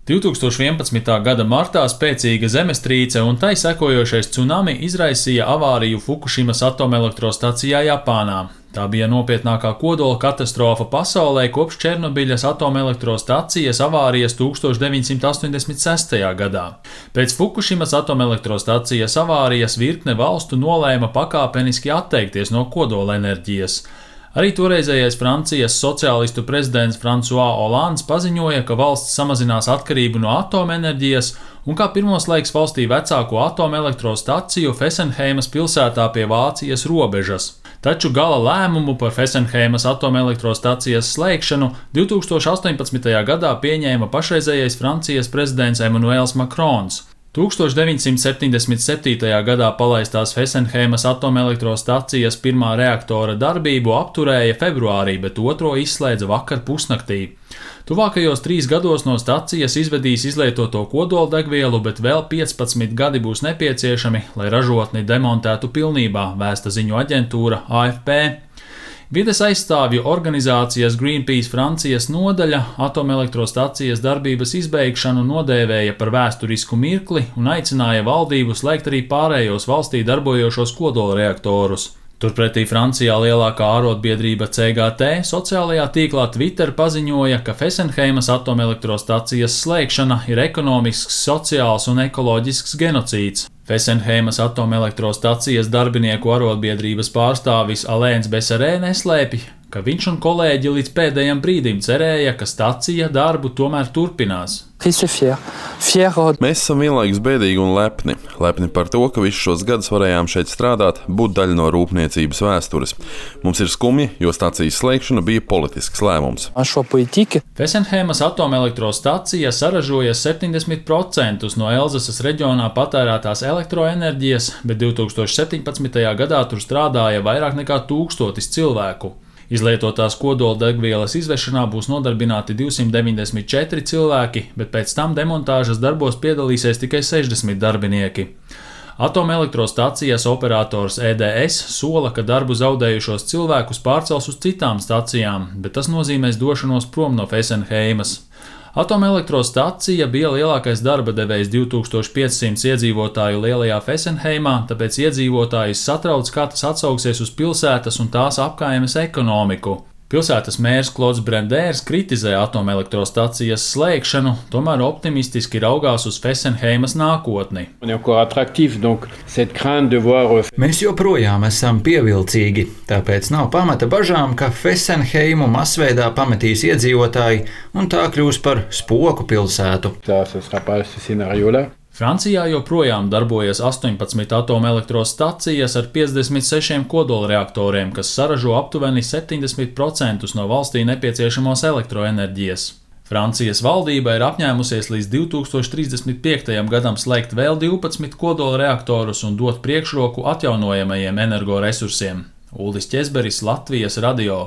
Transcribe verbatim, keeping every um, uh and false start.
divi tūkstoši vienpadsmitā gada martā spēcīga zemestrīce un tai sekojošais cunami izraisīja avāriju Fukushimas atomelektrostacijā Japānā. Tā bija nopietnākā kodola katastrofa pasaulē kopš Černobiļas atomelektrostacijas avārijas tuksstoš deviņsimt astoņdesmit sestajā gadā. Pēc Fukushimas atomelektrostacijas avārijas virkne valstu nolēma pakāpeniski atteikties no kodolenerģijas. Arī toreizējais Francijas sociālistu prezidents François Hollands paziņoja, ka valsts samazinās atkarību no atomenerģijas un kā pirmo slēgs valstī vecāko atomelektrostaciju Fessenheimas pilsētā pie Vācijas robežas. Taču gala lēmumu par Fessenheimas atomelektrostacijas slēgšanu divi tūkstoši astoņpadsmitajā gadā pieņēma pašreizējais Francijas prezidents Emmanuels Macrons. tuksstoš deviņsimt septiņdesmit septītajā gadā palaistās Fessenheimas atomelektrostacijas pirmā reaktora darbību apturēja februārī, bet otro izslēdza vakar pusnaktī. Tuvākajos trīs gados no stacijas izvedīs izlietoto kodoldegvielu, bet vēl piecpadsmit gadi būs nepieciešami, lai ražotni demontētu pilnībā, vēsta ziņu aģentūra A F P. Vides aizstāvju organizācijas Greenpeace Francijas nodaļa atomelektrostacijas darbības izbeigšanu nodēvēja par vēsturisku mirkli un aicināja valdību slēgt arī pārējos valstī darbojošos kodolreaktorus. Turpretī Francijā lielākā ārotbiedrība C G T sociālajā tīklā Twitter paziņoja, ka Fessenheimas atomelektrostacijas slēgšana ir ekonomisks, sociāls un ekoloģisks genocīds. Fessenheimas atomelektrostacijas darbinieku arotbiedrības pārstāvis Alains Besarē neslēpj, ka viņš un kolēģi līdz pēdējam brīdim cerēja, ka stacija darbu tomēr turpinās. Mēs esam vienlaikus bēdīgi un lepni. Lepni par to, ka visus šos gadus varējām šeit strādāt, būt daļa no rūpniecības vēstures. Mums ir skumji, jo stacijas slēgšana bija politisks lēmums. Fessenheimas atomelektrostacija saražoja septiņdesmit procentus no Elzasas reģionā patērētās elektroenerģijas, bet divi tūkstoši septiņpadsmitajā gadā tur strādāja vairāk nekā tūkstotis cilvēku. Izlietotās kodoldegvielas izvešanā būs nodarbināti divsimt deviņdesmit četri cilvēki, bet pēc tam demontāžas darbos piedalīsies tikai sešdesmit darbinieki. Atomelektrostacijas operators E D S sola, ka darbu zaudējušos cilvēkus pārcels uz citām stacijām, bet tas nozīmēs došanos prom no Fessenheimas. Atomelektrostacija bija lielākais darba devējs divi tūkstoši piecsimt iedzīvotāju lielajā Fessenheimā, tāpēc iedzīvotājus satrauc, kā tas atsauksies uz pilsētas un tās apkaimes ekonomiku. Pilsētas mērs Klods Brendērs kritizē atomelektrostacijas slēgšanu, tomēr optimistiski raugās uz Fessenheimas nākotni. Mēs joprojām esam pievilcīgi, tāpēc nav pamata bažām, ka Fessenheimu masveidā pametīs iedzīvotāji un tā kļūs par spoku pilsētu. Francijā joprojām darbojas astoņpadsmit atomelektrostacijas ar piecdesmit sešiem kodolreaktoriem, kas saražo aptuveni septiņdesmit procentus no valstī nepieciešamos elektroenerģijas. Francijas valdība ir apņēmusies līdz divi tūkstoši trīsdesmit piektajam gadam slēgt vēl divpadsmit kodolreaktorus un dot priekšroku atjaunojamajiem energoresursiem. Uldis Ķezberis, Latvijas radio.